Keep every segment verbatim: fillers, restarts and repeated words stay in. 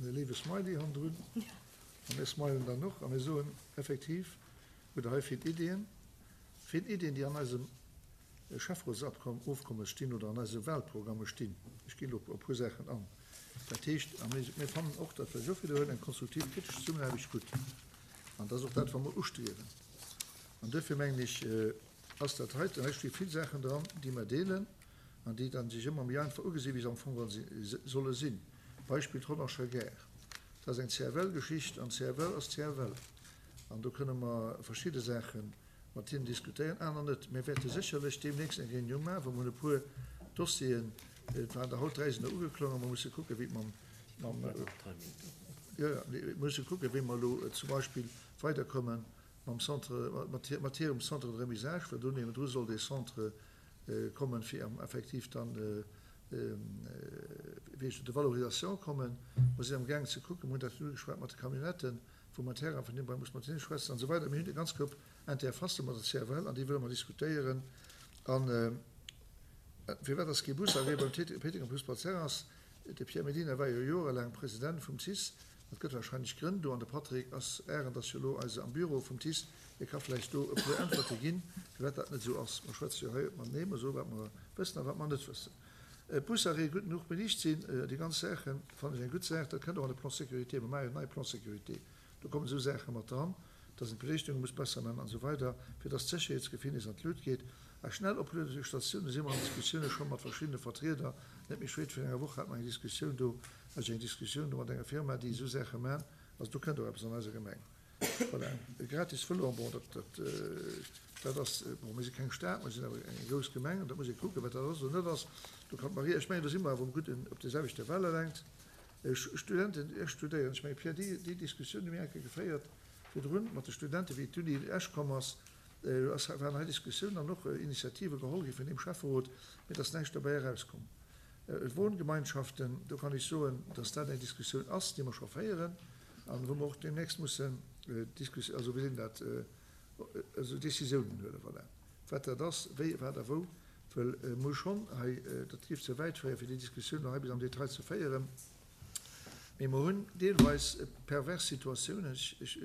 e léiwe Smiley hannendrun. A mir smilen dann och a mir soen, effektiv hutt Der hei vill Iddien, vill Iddien, déi an eisem Schäfferotsofkommes stinn oder an eise Wahlprogramme stinn. Ech ginn elo op e puer Saachen an. Dat heescht, a mir, mir fannen och, dat wëll ech och widderhuelen, eng konstruktiv, kritesch Zesummenaarbecht gutt. An dat ass och dat, wat mer ustriewen. An duerfir mengen ech, ass dat heiten, hei sti vill Saachen dran, déi mer deelen an déi dann sech ëmmer méi einfach ugesinn, wéi se am Fong geholl solle sinn. Beispill d'Rodangerer Gare. Dat ass eng C F L-Geschicht an C F L ass C F L. An do kënne mer verschidde Saache mat hinnen diskutéieren, aner net. Mir wäerte sécherlech deemnächst eng Reunioun maachen, wou mer hunn e puer Dossieren, et waren der haut dräi sinn der ugeklongen, mer musse kucken, wéi et mam, mam, jo, jo, mir musse kucken, wéi mer elo zum Beispill weiderkomme mam Centre, mat, mat hirem Centre de remisage, well do niewendru soll dee Centre kommen, fir effektiv dann, wéi heescht et, de valorisation kommen. Mer sinn amgaangen ze kucken, mer hunn dat ugeschwat mat de Camionnetten, wou mer Terrain vun deem Beräich muss mat hinne schwätzen an esou weider. Mir hunn e ganz Koup Interfacë mat der C F L an déi wëlle mer diskutéieren. An firwat ass kee Busarrêt beim Péitenger Fussball Terrain? De Pierre Medina war jo jorelaang President vum T I C E. Dat gëtt wahrscheinlech Grënn do. An de Patrick ass Arendt ass jo elo eise am Büro vum T I C E. Hie ka vläicht do e puer Äntwerte ginn, firwat dat net esou ass. Mer schwätze jo hei matenee, mer soe wat mer wëssen a wat mer net wëssen. Busarrêt gutt genuch beliicht sinn, déi ganz Saache fannen ech eng gutt Saach. Dat kënnt och an de Plan sécurité. Mer maache jo en neie Plan sécurité. Do kommen esou Saache mat dran, dass een d'Beliichtunge muss besser maachen an esou weider, fir dass d'Sécherheetsgefill nees an d'Lut geet. A schnell Opluedestatioune si mer an Diskussioune scho mat verschiddene Vertrieder. Net méi spéit vun enger Woch hat mer eng Diskussioun do, hat ech eng Diskussioun do mat enger Firma, déi esou Saache man. Also do kënnt och eppes an eiser Gemeng. Voilà. E gratis Vëlo, bon, dat, dat, dat ass, bon, mir si keng Stad, mer sinn awer eng grouss Gemeng an da muss ee kucken, wat dat ass oder net ass. Do kann d'Maria, ech mengen, do si mer awer um gudden, op der selwechter Wellenlängt. Studenten, ech studéieren, ech mengen, Pierre, déi, déi Diskussioun hu mir eng Kéier geféiert virdrun mat de Studenten, wéi d'Uni Esch komm ass, ass, waren hei Diskussiounen an och Initiative geholl gi vun deem Schäfferot, mee et ass näischt dobäi erauskomm. Wohngemeinschaften, do kann ech soen, dass dat eng Diskussioun ass, déi mer scho féieren an wou mer och deemnächst mussen Diskus, also wéi sinn dat, also Décisiounen huelen, voilà, wat dat ass, wéi, wat a wou, well mer hu schonn hei, dat géif ze wäit féieren, fir déi Diskussioun elo hei bis am Detail ze féieren, mee mer hunn deelweis pervers Situatiounen, ech, ech,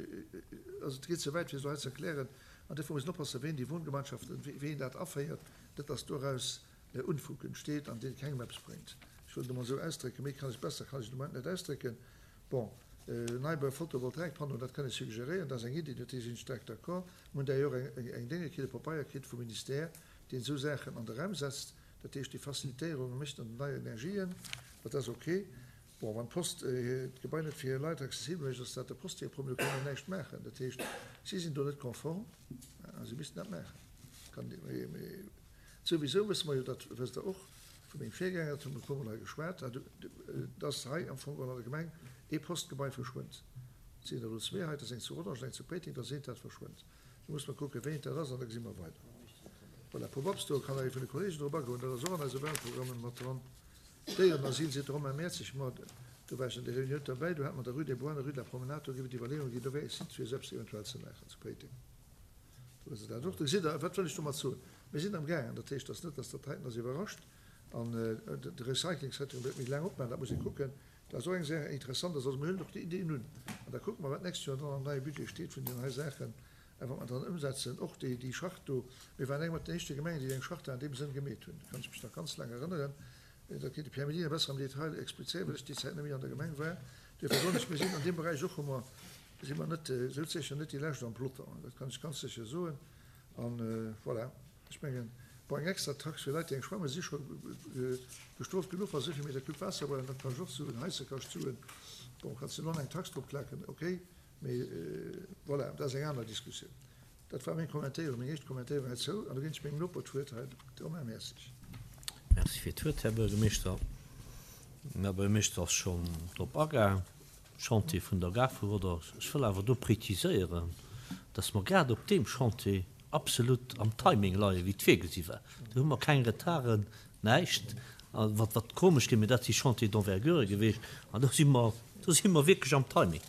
also et geet ze wäit, fir se elo hei ze erklären, an duerfir muss een oppassen, ween déi Wohngemeinschaften, wéi een dat aféiert, net dass doraus Unfug entsteet an dee kengem eppes bréngt. Ech wëll et emol esou ausdrécken, méi kann ech, besser kann ech et am Moment net ausdrécken. Bon, Neibau Photovoltaikpanneau, dat kann ech suggeréieren, dat ass eng Iddi, do sinn ech staark d'accord. Mir hunn d'ailleurs eng, eng Dénge kritt, e Papeier kritt vum Ministère, deen esou Saachen an de Raum setzt, dat heescht déi Facilitéierunge mécht an den neien Energien, dat ass ok. Bon, wann d'Post d'Gebai net fir hir Leit accessibel mécht, ass dat der Post hire Problem, do kann een näischt maachen. Dat heescht, si sinn do net konform a si missten dat maachen. Kann, mee souwisou wësse mer jo, dat wësst Der och vu mengem Virgänger, dat hu mer e puermol hei geschwat, dass hei am Fong an der Gemeng ee Postgebai verschwënnt. Et sinn der elo zwee hei, dat ass eng zu Rodange an eng zu Péiteng, dass eent dat verschwënnt. Do muss mer kucken, wéi eent dat ass, an da gesi mer weider. Voilà, Pop-up Store kann nach ee vun de Kollegen drop agoen, dat ass och an eise Wahlprogrammen mat dran. Déierenasyl, seet de Romain Mertzig, ma do war ech an der Reunioun derbäi, do hat mer der Rue des Bois an der Rue de la Promenade, do géif et Iwwerleeunge ginn, do wär ee Site fir esou eppes eventuell ze maachen zu Péiteng. Do wësst Der dat och. Do gesitt Der, wat wëll ech domat soen? Mir sinn amgaangen, dat heescht, dass net, dass dat heiten ass iwwerrascht an de Recycling-Secteur wäert méi laang opmaachen, dat muss ee kucken. Dat ass och eng Saach interessant ass. Also mir hunn och déi Ideen un an da kucke mer, wat d'nächst Joer dann am neie Budget steet vun deenen hei Saachen a wat mer dann ëmsetzen. Och déi, déi Charte do, mir waren eng mat den éischte Gemengen, déi eng Charte an deem Sënn gemeet hunn, kann ech mech nach ganz laang erënneren. Dat kéint de Pierre Medina besser am Detail explizéieren, well ech déi Zäit net méi an der Gemeng war. Duerfir soen ech, mir sinn an deem Beräich och, hu mer, si mer net, souzesécher net déi Lescht am Peloton, dat kann ech ganz sécher soen. An voilà, ech mengen, bon, eng extra Tax fir Leit, déi eng schwammen, si scho bestrooft genuch, wa se esou vill Meter Cube Waasser huelen, dat kann ech och soen, Heisse kascht Suen. Bon, kanns de elo nach eng Tax drop klaken, okay, mee voilà, dat ass eng aner Diskussioun. Dat war meng Kommentéierung, meng éischt Kommentéierung heizou. An da ginn ech mengem Noper d'Wuert hei, de Romain Mertzig. Merci fir d'Wuert, Här Buergermeeschter. Den Här Buergermeeschter ass schonn drop agaang, Chantier vun der Gare vu Rodange. Ech wëll awer do preziséieren, dass mer grad op deem Chantier absolut am Timing leien, wéi et virgesi war. Do hu mer keng Retarden, näischt. A wat, wat komesch ginn, mee dat si Chantiers d'envergure gewiescht. An do si mer, do si mer wierklech am Timing.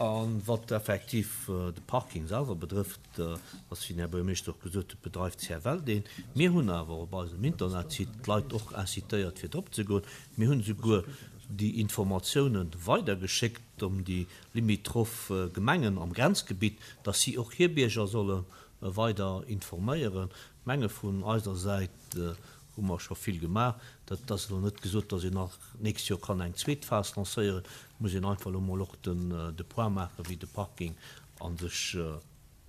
A wat effektiv de Parking selwer betrëfft, ass, wéi den Här Buergermeeschter och gesot huet, bedreift C F L deen. Mir hunn awer op eisem Internetsite d'Leit och incitéiert, fir drop ze goen. Mir hunn esouguer déi Informatiounen weidergeschéckt un déi limitroph Gemengen am Grenzgebitt, dass si och hir Bierger solle weider informéieren. Ech menge vun eiser Säit hu mer scho vill gemaach. Dat ass elo net gesot, dass een nach d'nächst Joer kann eng zweet Phas lancéieren. Et muss een einfach elo mol och de Point maachen, wéi de Parking a sech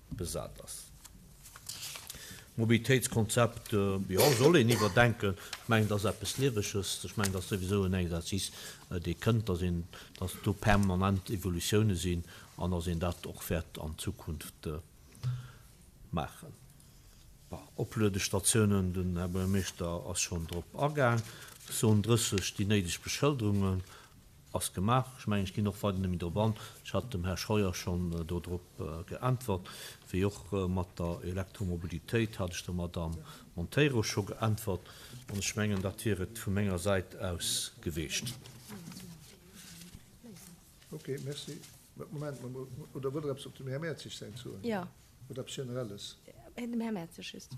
besat ass. Mobilitéitskonzept, jo, soll een iwwerdenken. Ech mengen, dat ass eppes Lieweges. Ech mengen, dat ass souwisou en Exercice, dee kënnt, dass een, dass do permanent Evolutioune sinn an dass een dat och wäert an Zukunft maachen. Bon, Opluedestatiounen, den Här Buergermeeschter ass schonn drop agaang. Zon drësseg, déi néideg Beschëlderungen ass gemaach. Ech mengen, ech ginn och weider net méi drop an. Ech hat dem Här Scheuer schonn do drop geäntwert. Wéi och mat der Elektromobilitéit hat ech der Madamm Monteiro scho geäntwert. An ech mengen, dat wier et vu menger Säit aus geweecht. Ok, merci. Moment, oder wëllt Der eppes op dem Här Mertzig säin soen? Jo. Oder eppes Generelles? Dem Här Mertzig just.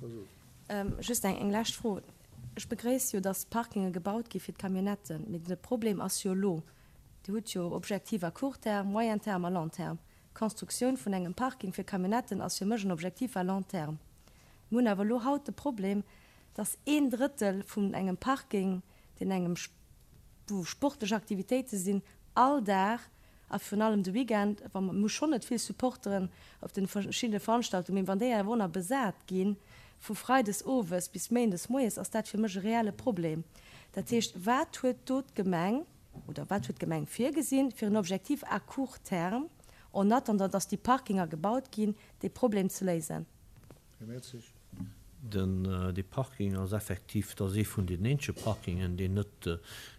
Just eng lescht Fro. Ech begréiss jo, dass Parkinge gebaut gi fir d'Camionnetten, mee de Problem ass jo elo, Dir hutt jo Objectif à court terme, moyen terme a long terme. D'Constructioun vun engem Parking fir Camionnetten ass fir mech en Objectif à long terme. Mir hunn awer elo haut de Problem, dass een Drëttel vun engem Parking, deen engem, wou sportlech Aktivitéite sinn, all Dag a virun allem de Weekend, wa mer, mir hu schonn net vill Supporteren op de verschiddene Veranstaltungen, mee wann déi awer och nach besat ginn, vu freides owes bis méindes moies, ass dat fir mech e reelle Problem. Dat heescht, wat huet do d'Gemeng oder wat huet d'Gemeng virgesinn fir en Objectif à court terme, en attendant dass déi Parkinger gebaut ginn, dee Problem ze léisen? Här Mertzig. Den, dee Parking ass effektiv, dat ass ee vun den eenzege Parkingen, deen net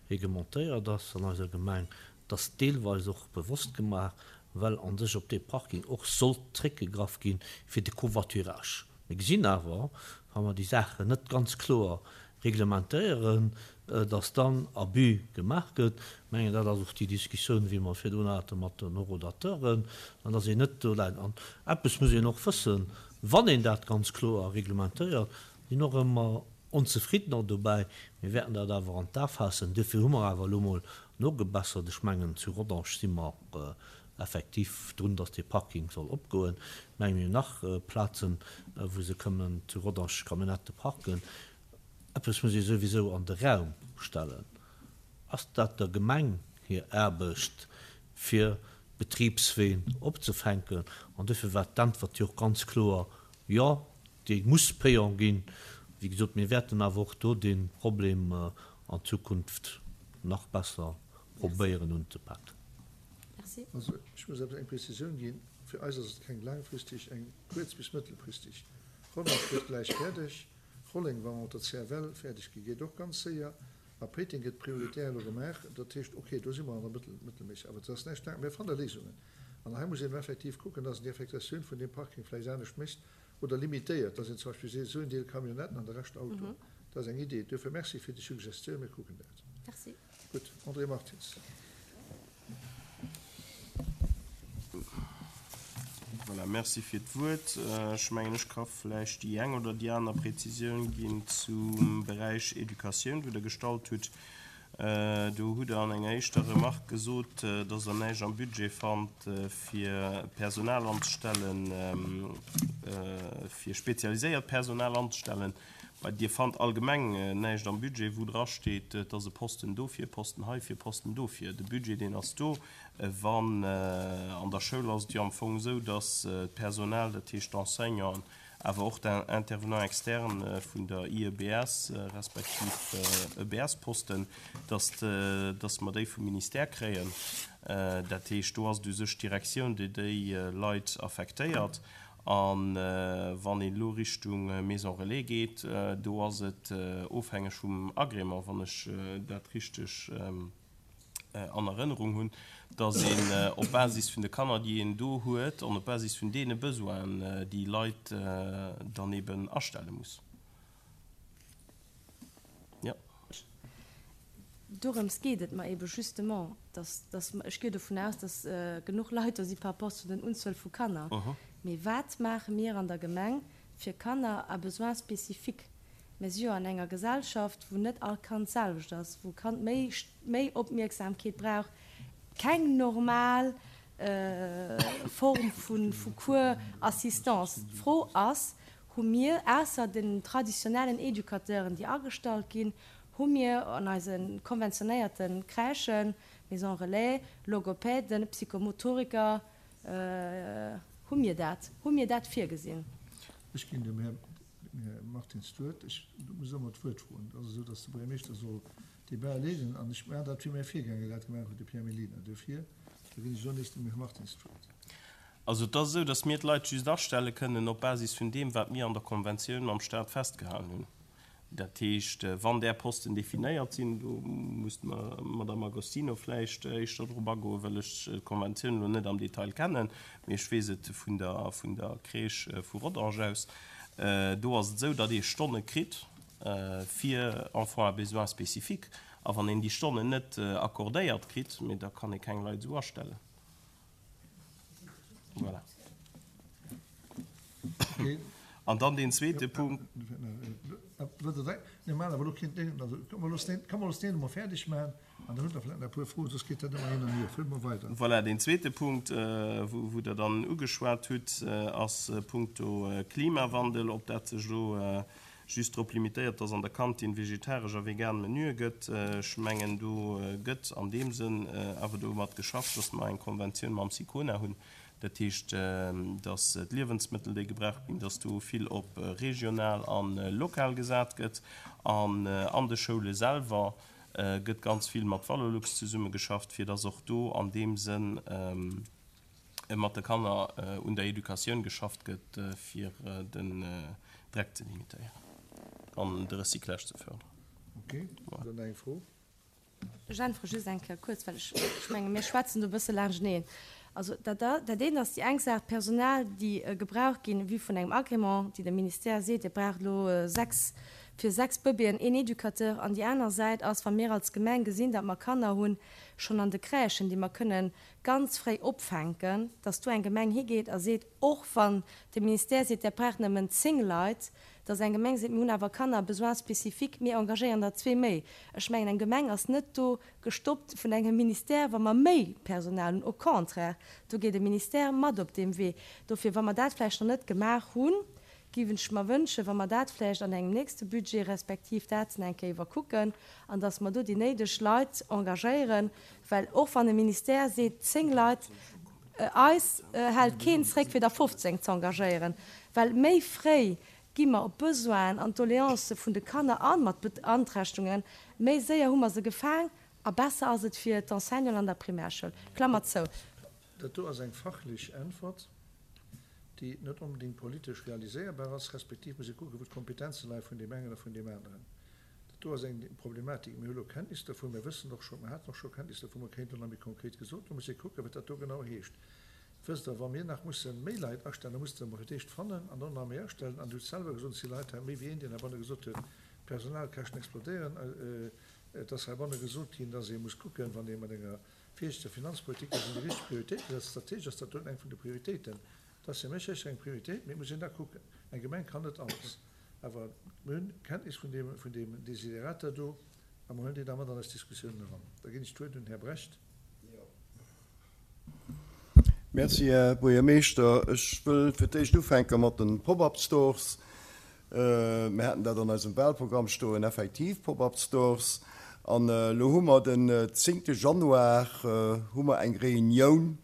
reglementéiert ass an eiser Gemeng. Dat ass deelweis och bewosst gemaach, well a sech op dee Parking och sollt zréckgegraff gi fir de Covoiturage. Mir gesinn awer, wa mer déi Saachen net ganz kloer reglementéieren, dass dann Abus gemaach gëtt. Ech mengen, dat ass och déi Diskussioun, wéi mer virdrun hate mat den Horodateuren, an dass een net do läit. An eppes muss een och wëssen, Wann een dat ganz kloer reglementéiert, sinn och ëmmer Onzefriddener dobäi. Mir wäerten dat awer an d'A faassen. Duerfir hu mer awer elo mol nogebessert. Ech mengen, zu Rodange si mer effektiv drun, dass dee Parking soll opgoen. Ech mengen, mir hunn nach Plazen, wou se kënnen zu Rodange Camionnettë parken. Eppes muss ee souwisou an de Raum stellen, Ass dat der Gemeng hir Aarbecht, fir d'Betribsween opzefänken? An duerfir war d'Äntwert jo och ganz kloer, Jo, déi muss payant ginn. Wéi gesot, mir wäerten awer och do dee Problem an Zukunft nach besser probéieren unzepaken. Merci. Also, ech muss eppes, eng Prezisioun ginn. Fir eis ass et keng laangfristeg, eng kuerz bis mëttelfristeg. Rodange gëtt gläich fäerdeg. Rolleng, wa mer mat der C F L fäerdeg ginn, geet och ganz séier. A Péiteng gëtt prioritär elo gemaach. Dat heescht, okay, do si mer an der Mëttel, mëttelméisseg. Awer et ass näischt laang. Mir fanne Léisungen. An hei muss een effektiv kucken, dass een déi Affektatioun vun deem Parking vläicht anescht mécht oder limitéiert, dass een zum Beispill seet, esou en Deel Camionnetten an de Rescht Autoen. Dat ass eng Idee. Duerfir merci fir déi Suggestioun. Mir kucken dat. Merci. Gutt. André Martins. Voilà, merci fir d'Wuert. Ech mengen, ech ka vläicht déi eng oder déi aner Präzisioun ginn zum Beräich Educatioun, wou Der gestallt hutt. Do hutt Der an enger éischter Remarque gesot, dass Der näischt am Budget fannt, fir Personal anzestellen, fir spezialiséiert Personal anzestellen. Bei Dir fannt allgemeng näischt am Budget, wou drasteet, et ass e Posten dofir, e Posten heifir, e Posten dofir. De Budget, deen ass do. Wann an der Schoul ass et jo am Fong esou, dass d'Personal, dat heescht d'Enseignanten, awer och d'Intervenants externes vun der I E B S respektiv E B S-Posten, dass dass mer déi vum Ministère kréien. Dat heescht, do ass et u sech d'Direktioun, déi déi Leit affektéiert. A wann een elo Richtung Maison relais geet, do ass et ofhängeg vum Agrément, wann ech dat richteg an Erënnerung hunn, dass een op Basis vun de Kanner, déi een do huet, an op Basis vun deene Besoinen déi Leit dann eben astelle muss. Jo. Dorëms geet et mer ebe justement, dass, dass, ech gehe dovun aus, dass genuch Leit do si par rapport zu den Unzuel vu Kanner. Mee wat maache mir an der Gemeng fir Kanner à besoins spécifiques? Mir si jo an enger Gesellschaft, wou net all Kand d'selwecht ass, wou Kand méi, méi Opmierksamkeet brauch, keng normal Form vu Cours Assistance. D'Fro ass, Hu mir, ausser den traditionellen Educateuren, déi agestallt ginn, hu mir an eise konventionéierte Crèchen, Maisons relais, Logopäden, Psychomotoriker, hu mir dat, hu mir dat virgesinn? Ech ginn dem Här Martins d'Wuert. Ech muss ëmmer d'Wuert froen. Et ass esou, datt de Buergermeeschter soll d'Debat leeden an ech maachen dat, wéi mäi Virgänger dat gemaach huet, de Pierre Mellina. Dofir, da ginn ech elo nees dem Här Martins d'Wuert. Also et ass esou, datt mir d'Leit just astelle kënnen op Basis vun deem, wat mir an der Konventioun mam Stat festgehalen hunn. Dat heescht, wann där Posten definéiert sinn, do muss d'Madame Agostino vläicht éischter drop agoen, well ech d'Konventioun elo net am Detail kennen, mee ech weess et vun der vun der Crèche vu Rodange aus, do ass et esou, datt ee Stonne kritt fir Enfants à besoins spécifiques, a wann een déi Stonnen net accordéiert kritt, mee da kann ee keng Leit esou astellen. Voilà. An dann deen zweete Punkt. Voilà, deen zweete Punkt, wou Der dann ugeschwat hutt, ass punkto Klimawandel, ob dat sech elo just drop limitéiert, dass an der Kantin vegetaresch a vegan Menüe gëtt. Ech mengen, do gëtt an deem Sënn awer domat geschafft, dass mer eng Konventioun mam SICONA hunn. Dat heescht, dass d'Liewensmëttel, déi gebraucht ginn, dass do vill op regional a lokal gesat gëtt. An an de Schoule selwer gëtt ganz vill mat Valorlux zesummegeschafft, fir dass och do an deem Sënn mat de Kanner un der Educatioun geschafft gëtt, fir den Dreck ze limitéieren an de Recyclage ze fördern. Okay, dann eng Fro. Ech äntwere just eng Kéier kuerz, well ech, ech menge mir schwätzen do e bësse laanschteneen. Also dat, dat eent ass déi eng Saach, d'Personal, déi gebraucht ginn, vue vun engem Agrément, déi de Ministère seet, Dir braucht elo sechs, fir sechs Bëbeeën een Educateur. An déi aner Säit ass, wa mir als Gemeng gesinn, datt mer Kanner hunn, schonn an de Crèchen, déi mer kënnen ganz fréi opfänken, datt do eng Gemeng higeet a seet, och wann de Ministère seet, Dir braucht nëmmen zéng Leit, datt eng Gemeng seet, mir hunn awer Kanner à besoins spécifiques, mir engagéieren der zwee méi. Ech mengen, eng Gemeng ass net do gestoppt vun engem Ministère, wa mer méi Personal hunn. Au contraire, do geet e Ministère mat op deem Wee. Dofir, wa mer dat vläicht nach net gemaach hunn, géif ech mer wënschen, wa mer dat vläicht an engem nächste Budget respektiv dat eng Kéier iwwerkucken an datt mer do déi néideg Leit engagéieren, well och wann e Ministère seet zéng Leit, eis hält keen zréck fir der fofzéng ze engagéieren, well méi fréi gi mer op d'Besoinen an d'Doleancë vun de Kanner an mat Beanträchtegungen, méi séier hu mer se gefaang a besser ass et fir d'Enseignanten an der Primärschoul. Klammer zou. Dat do ass eng fachlech Äntwert, déi net onbedéngt politesch realiséierbar ass, respektiv muss ee kucken, wou d'Kompetenze leie vun deem engen a vun deem aneren. Dat do ass eng Problematik. Mir hu lo Kenntnis dervun, mir wëssen och scho, mir haten och scho Kenntnis dervun, mer kéinten elo nach méi konkret gesot, do muss ee kucken, wat dat do genau heescht. Wësst Der, wa mir nach musse méi Leit astellen, da muss Der emol fir d'éischt fannen an dann nach méi astellen. An Dir hutt selwer gesot, et si Leit hei, méi wéi een, deen heibanne gesot huet, d'Personalkäschten explodéieren. Et ass heibanne gesot ginn, dass ee muss kucken, wann ee mat enger virsiichteger Finanzpolitik, dass een déi richteg Prioritéite setzt. Strategesch ass dat doten eng vun de Prioritéiten. Dat ass fir mech sécher eng Prioritéit, mee et muss een da kucken. Eng Gemeng kann net alles. Awer mir hunn Kenntnis vun deem, vun deem Desiderata do a mer huelen déi da mat an eis Diskussiounen eran. Da ginn ech d'Wuert un den Här Brecht. Merci, Här Buergermeeschter. Ech wëll fir d'éischt ufänke mat de Pop-up-Stores. Mir haten dat an eisem Wahlprogramm stoen, effektiv Pop-up-Stores. An elo hu mer den zéngte Januar hu mer eng Reunioun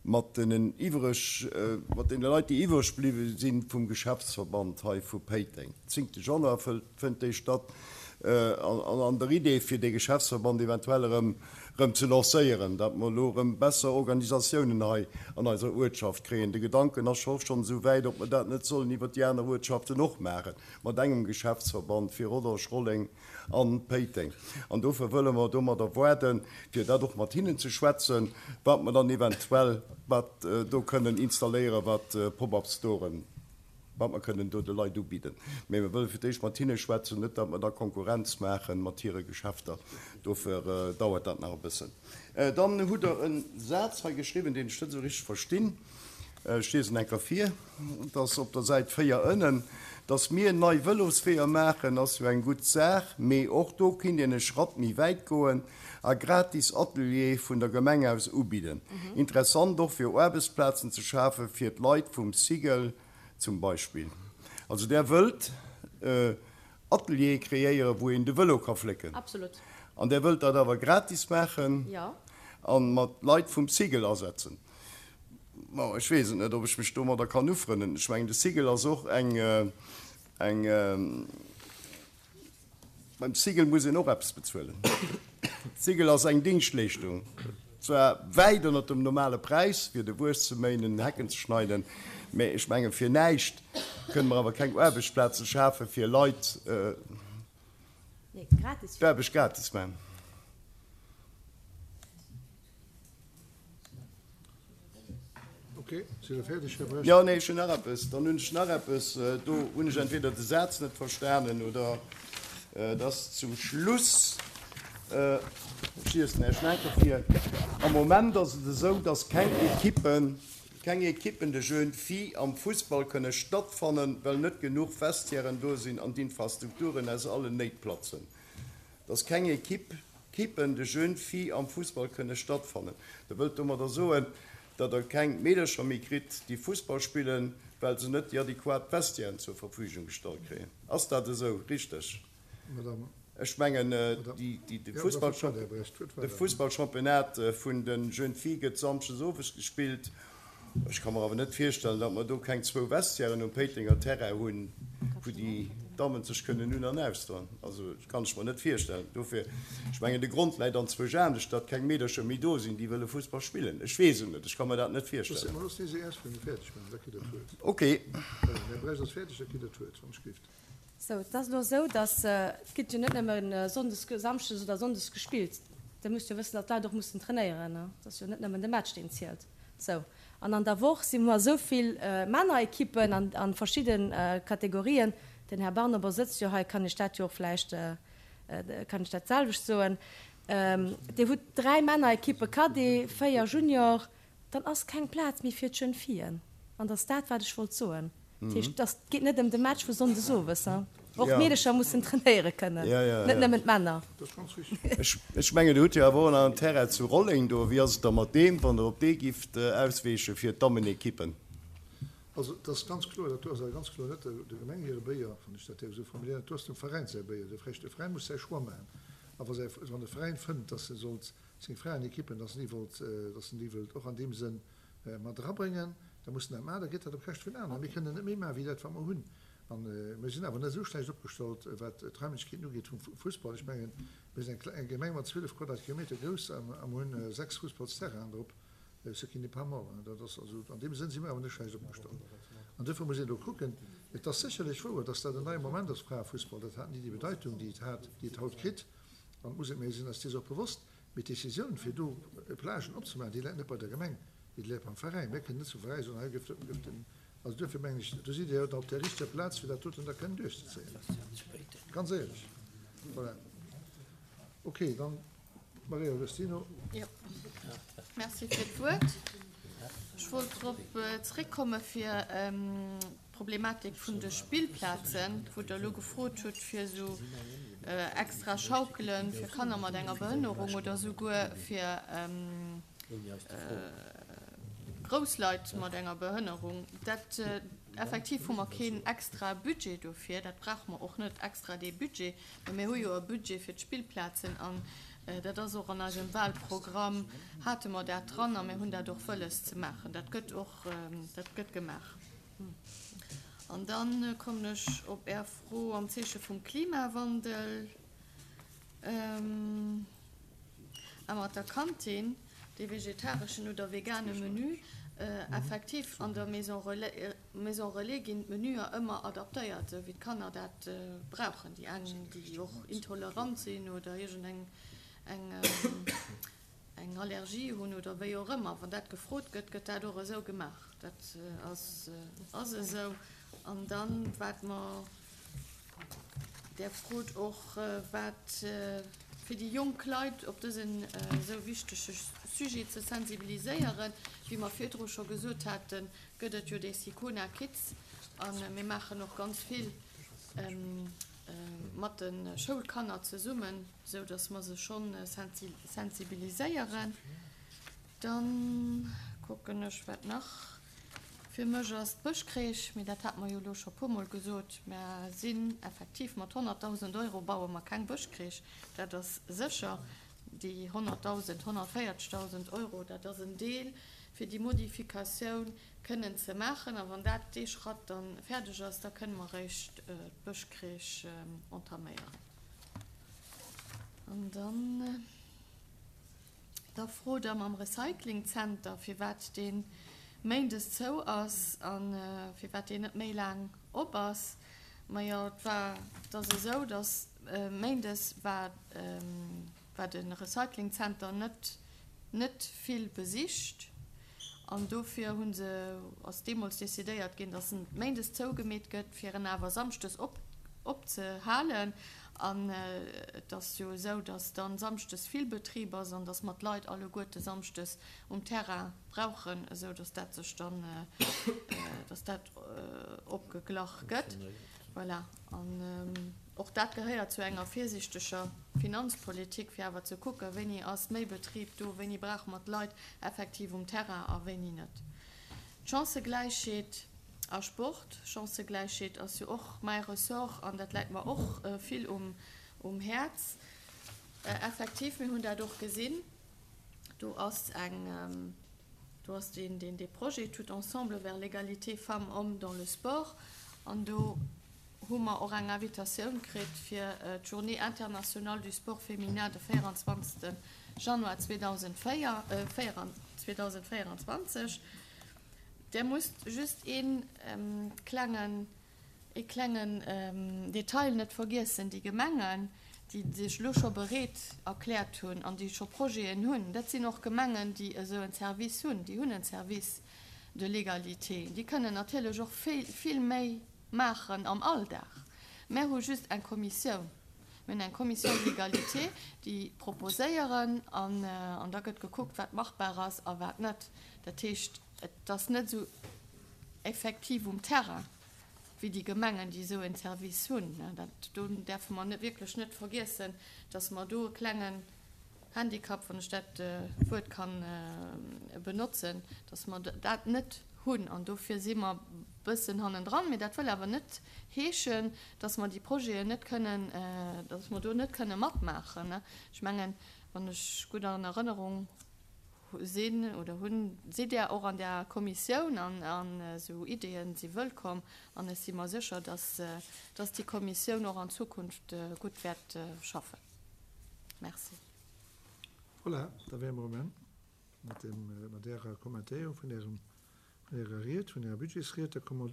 mat deenen iwwreg, mat deene Leit, déi iwwreg bliwwe si vum Geschäftsverband hei vu Péiteng. Zéngte Januar fënnt déi statt. An an der Idee, fir dee Geschäftsverband eventuell erëm erëm ze lancéieren, datt mer elo erëm besser Organisatiounen hei an eiser Uertschaft kréien. De Gedanken ass scho schonn esou wäit, ob mer dat net sollen iwwert déi aner Uertschaften och maachen, mat engem Geschäftsverband fir Rodange, Rolleng an Péiteng. An dofir wëlle mer domadder waarden, fir dat och mat hinnen ze schwätzen, wat mer dann eventuell wat do kënnen installéieren, wat Pop-up-Storen wat mer kënnen do de Leit ubidden. Mä mir wëlle fir d'éischt mat hinne schwätzen, net datt mer da Konkurrenz maache mat hire Geschäfter. Dofir dauert dat nach e bëssen. Dann hutt Der e Saz hei geschriwwen, deen ech net esou richteg verstinn. Ech liesen eng Kéier vir, et ass op der Säit véier ënnen, Dass mir nei Vëlosweeër maachen, ass jo eng gutt Saach, mee och do kinnt een e Schratt méi wäit goen a gratis Ateliere vun der Gemeng aus ubidden. Interessant och fir Aarbechtsplazen ze schafe fir d'Leit vum Cigl zum Beispill. Also Der wëllt Ateliere kreéieren, wou een de Vëlo ka flécken. An Der wëllt dat awer gratis maachen a mat Leit vum Cigl asetzen. Bon, ech weess et net, ob ech mech domadder kann ufrënnen. Ech mengen, de Cigl ass och eng, eng, beim Cigl muss een och eppes bezuelen. Cigl ass eng Dingschtleeschtung, zwar wäit ënnert dem normale Präis, fir de Wues ze méinen, Hecken ze schneiden, mä ech mengen, fir näischt kënne mer awer keng Aarbechtsplaze schafe fir Leit, d'Aarbecht gratis maachen. Jo, nee, ech hunn nach eppes. Dann hunn ech nach eppes. Do hunn ech entweder de Saz net verstanen oder et ass zum Schluss. Ech liesen Iech nach eng Kéier vir. Am Moment ass et esou, dass keng Ekippen, keng Ekippen de Jeunes Filles am Fussball kënne stattfannen, well net genuch Vestiairen do sinn an d'Infrastrukturen aus allen Néit platzen. Dass keng Ekipp, Ekippen de Jeunes Filles am Fussball kënne stattfannen. Der wëllt domadder soen, datt Der keng Meedercher méi kritt, déi Fussball spillen, well se net déi adequat Vestiairen zur Verfügung gestallt kréien. Ass dat esou richteg? Ech mengen, de Fussballchampionnat vun de Jeunes Filles gëtt samschdes owes gespillt. Ech ka mer awer net virstellen, datt mer do keng zwou Vestiairen um Péitenger Terrain hunn, wou déi Dammen sech kënnen un an ausdoen. Also, dat kann ech mer net virstellen. Dofir, ech mengen, de Grond läit anzwousch anescht, datt keng Meedercher méi do sinn, déi wëlle Fussball spillen. Ech weess et net, ech ka mer dat net virstellen. Okay. Sou, et ass elo esou, datt, et gëtt jo net nëmme sonndes, samschdes oder sonndes gespillt. Dir musst jo wëssen, datt d'Leit och mussen trainéieren. Et ass jo net nëmmen de Match, deen zielt. Sou, an an der Woch si mer esou vill Männerekippen an a verschidde Kategorien. Den Här Barnabo sëtzt jo hei, kann ech dat jo och vläicht, kann ech dat d'selwecht soen. Dir hutt dräi Männerekippe, Cadet, véier Junior, dann ass keng Plaz méi fir d'Jeunes Fillen. An dat ass dat, wat ech wollt soen. Dat heescht, et geet net ëm de Match vu sonndes owes. Och d'Meedecher mussen trainéiere kënnen, net nëmmen d'Männer. Ech mengen, Dir hutt jo awer och nach en Terrain zu Rolleng do. Wéi ass et da mat deem, wann Der op dee gifft ausweeche fir d'Dammenekippen? Also, et ass ganz kloer, dat do ass awer ganz kloer net der Gemeng hire Béier, wann ech dat däerf esou formuléieren, dat do ass dem Veräin säi Béier. De Veräin muss säi Choix maachen. A wa säi, wann de Veräin fënnt, dass e sollt seng Fraenekippen, dass en déi wollt, dass en déi wëllt och an deem Sënn mat erabréngen, da muss en dat maachen, da gëtt dat op Käschte vun aneren. Mir kënnen net méi maachen, wéi dat, wat mer hunn. A mir sinn awer net esou schlecht opgestallt, wat d'Raimlechkeeten ugeet vum Fussball. Ech mengen, mir sinn eng Gemeng mat zwielef Quadratkilometer grouss a mer hunn sechs Fussballsterrainen drop, ce qui n'est pas mal. Dat ass also, an deem Sënn si mer awer net schlecht opgestallt. An duerfir muss een do kucken. Et ass sécherlech wouer, dass dat en neie Moment ass, Fraefussball. Dat hat ni déi Bedeitung, déi et hat, déi et haut kritt. An et muss et, mir sinn eis dees och bewosst. Mee d'Décisioun, fir do Plagen opzemaachen, déi läit net bei der Gemeng, déi läit beim Veräin. Mir kënnen net zum Veräin soen, hei gëtt den Also duerfir mengen ech, do sidd Dir jo op der richteger Plaz, fir dat doten da kënnen duerchzezéien. Ganz éierlech. Voilà. Okay, dann d'Maria Agostino. Jo, merci fir d'Wuert. Ech wollt drop zréckkomme fir d'Problematik vun de Spillplazen, wou Der elo gefrot hutt, fir esou extra Schaukele fir Kanner mat enger Behënnerung oder souguer fir grouss Leit mat enger Behënnerung. Dat, effektiv hu mer keen extra Budget dofir, dat brauche mer och net extra, dee Budget, mä mir hu jo e Budget fir d'Spillplazen an dat ass och an eisem Wahlprogramm, hate mer dat dran a mir hunn dat och wëlles ze maachen. Dat gëtt och, dat gëtt gemaach. An da kommen ech op Är Fro am Zeeche vum Klimawandel. A mat der Kantin, dee vegetareschen oder vegane Menü, effektiv an der Maison relais, Maison relais ginn d'Menüer ëmmer adaptéiert, esou wéi d'Kanner dat brauchen. Déi eng, déi och intolerant sinn oder iergend eng eng eng Allergie hunn oder wéi och ëmmer, wann dat gefrot gëtt, gëtt dat och esou gemaach. Dat ass ass esou. An dann, wat mer, Der frot och, wat fir déi jonk Leit op dësen esou wichtege Sujet ze sensibiliséieren. Wéi mer virdru scho gesot haten, gëtt et jo déi Sicona Kids a mir maachen och ganz vill mat de Schoulkanner zesummen, esou datt mer se scho sensibiliséieren. Dann kucken ech, wat nach fir mech ass. D'Bëschcrèche, mee dat hate mer jo elo scho puermol gesot, mer sinn effektiv mat honnertdausend Euro baue mer keng Bëschcrèche, dat ass sécher. Déi honnertdausend, honnertvéierzegdausend Euro, dat ass en Deel, fir déi Modifikatioun kënnen ze maachen. A wann dat, dee Schratt da fäerdeg ass, da kënne mer eréischt d'Bëschcrèche entaméieren. An dann. Da frot Der mam Recyclingzenter, firwat dee méindes zou ass a firwat deen net méi laang op ass. Majo, et war, et ass esou, datt méindes war, war de Recyclingzenter net, net vill besicht an dofir hu se, ass deemools decidéiert ginn, datt en méindes zougemeet gëtt, fir en awer samschdes op, opzehalen. An et ass jo esou, datt dann samschdes vill Betrib ass an datt mer d'Leit alleguerte samschdes um Terrain brauchen, esou datt dat sech dann, datt dat opgeglach gëtt. Voilà. An och dat gehéiert zu enger virsiichteger Finanzpolitik, fir awer ze kucken, wéini ass méi Betrib do, wéini brauche mer d'Leit effektiv um Terrain a wéini net. D'Chancëgläichheet. A Sport, Chancëgläichheet ass jo och mäi Ressort an dat läit mer och vill um Häerz. Effektiv, mir hunn dat och gesinn, do ass eng, do ass deen, dee Projet Tout ensemble vers l'égalité femmes-hommes dans le sport an do hu mer och eng Invitatioun kritt fir d'Journée internationale du sport féminin de véieranzwanzegste Januar zweedausendvéierundzwanzeg. Där musst just ee klengen, ee klengen Detail net vergiessen, Déi Gemengen, déi sech elo scho bereet erkläert hunn an déi scho Projeten hunn, dat sinn och Gemengen, déi esou en Service hunn, déi hunn en Service de l'égalité, déi kënnen natierlech och vill, vill méi maachen am Alldag. Mär hu just eng Kommissioun. Mir hunn eng Commission de l'égalité, déi proposéieren an da gëtt gekuckt, wat machbar ass a wat net. Dat heescht, et ass net esou effektiv um Terrain wéi déi Gemengen, déi esou en Service hunn. Dat do däerfe mer wierklech net vergiessen, dass mer do e klengen Handicap, wann ech dat Wuert kann benotzen, dass mer dat net hunn an dofir si mer e bëssen hannendran. Mee dat wëll awer net heeschen, dass mer déi Projeten net kënnen, dass mer do net kënne matmaachen. Ech mengen, wann ech gutt an Erënnerung sinn oder hunn, sidd Där och an där Kommissioun an esou Ideeën si wëllkomm an ech si mer sécher, dass, dass déi Kommissioun och an Zukunft gutt wäert schaffen. Merci. Voilà, da wäre mer um Enn mat deem, mat Ärer Kommentéierung vun Ärem, vun Ärer Ried, vun Ärer Budgetsried. Da komme mer.